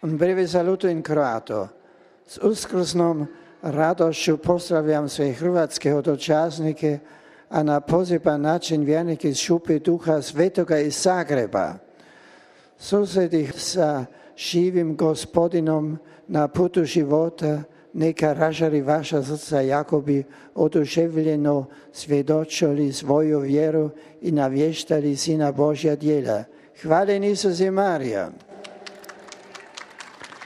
Un breve saluto in kroato. S uskrsnom radošću pozdravljam sve hrvatske hodočasnike, a na poseban način vjernike iz Šupe Duha Svetoga iz Zagreba. Susreti sa živim Gospodinom na putu života, neka ražari vaša srca jako bi oduševljeno svjedočili svoju vjeru i navještali Sina Božja djela. Hvala Isus i Marija.